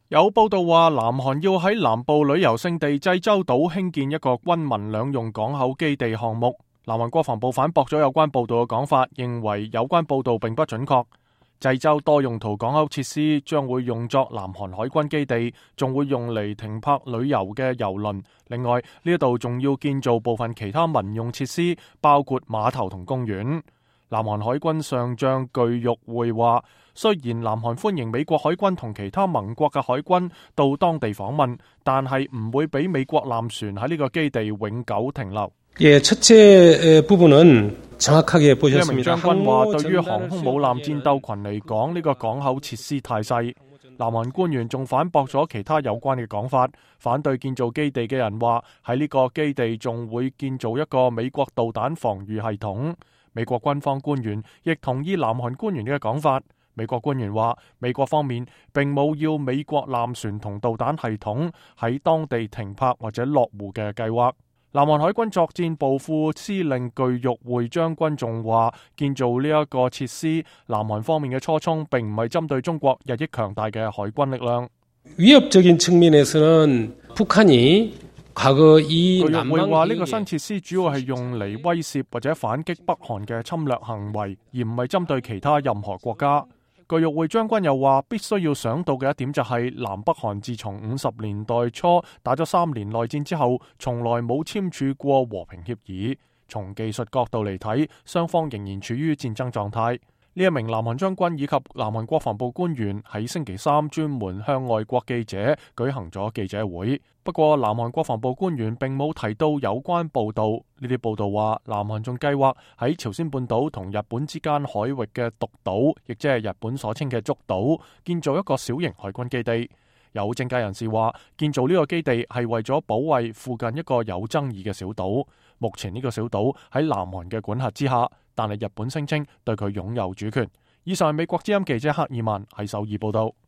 有報道話，南韓要喺南部旅遊勝地濟州島興建一個軍民兩用港口基地項目。南韓國防部反駁咗有關報道嘅講法，認為有關報道並不準確。濟州多用途港口設施將會用作南韓海軍基地，仲會用嚟停泊旅遊嘅郵輪。另外呢度仲要建造部分其他民用設施，包括碼頭同公園。南韓海軍上將具玉會話，雖然南韓歡迎美國海軍同其他盟國嘅海軍到當地訪問，但係唔會俾美國艦船喺呢個基地永久停留。첫째 부분은 정확하게 보셨습니다. 呢名將軍話，對於航空母艦戰鬥群嚟講，呢個港口設施太細。南韓官員仲反駁咗其他有關嘅講法，反對建造基地嘅人話，喺呢個基地仲會建造一個美國導彈防禦系統。美國軍方官員亦同意南韓官員嘅講法。美國官員話，美國方面並冇要美國艦船同導彈系統喺當地停泊或者落戶嘅計劃。南韓海軍作戰部副司令具玉會將軍仲話，建造呢一個設施，南韓方面嘅初衷並唔係針對中國日益強大嘅海軍力量。위협적인 측면에서는 북한이 과거 이具玉會話，呢個新設施主要係用嚟威懾或者反擊北韓嘅侵略行為，而唔係針對其他任何國家。具玉會將軍又話，必須要想到嘅一點就係，南北韓自從50年代初打咗3年內戰之後，從來冇簽署過和平協議。從技術角度嚟睇，雙方仍然處於戰爭狀態。呢一名南韓將軍以及南韓國防部官員喺星期三專門向外國記者舉行咗記者會。不過南韓國防部官員並冇提到有關報道。呢啲報道話，南韓仲計劃喺朝鮮半島同日本之間海域嘅獨島，亦即係日本所稱嘅竹島，建造一個小型海軍基地。有政界人士話，建造呢個基地係為咗保衛附近一個有爭議嘅小島。目前呢個小島喺南韓嘅管轄之下，但係日本聲稱對佢擁有主權。以上係美國之音記者克爾曼喺首爾報道。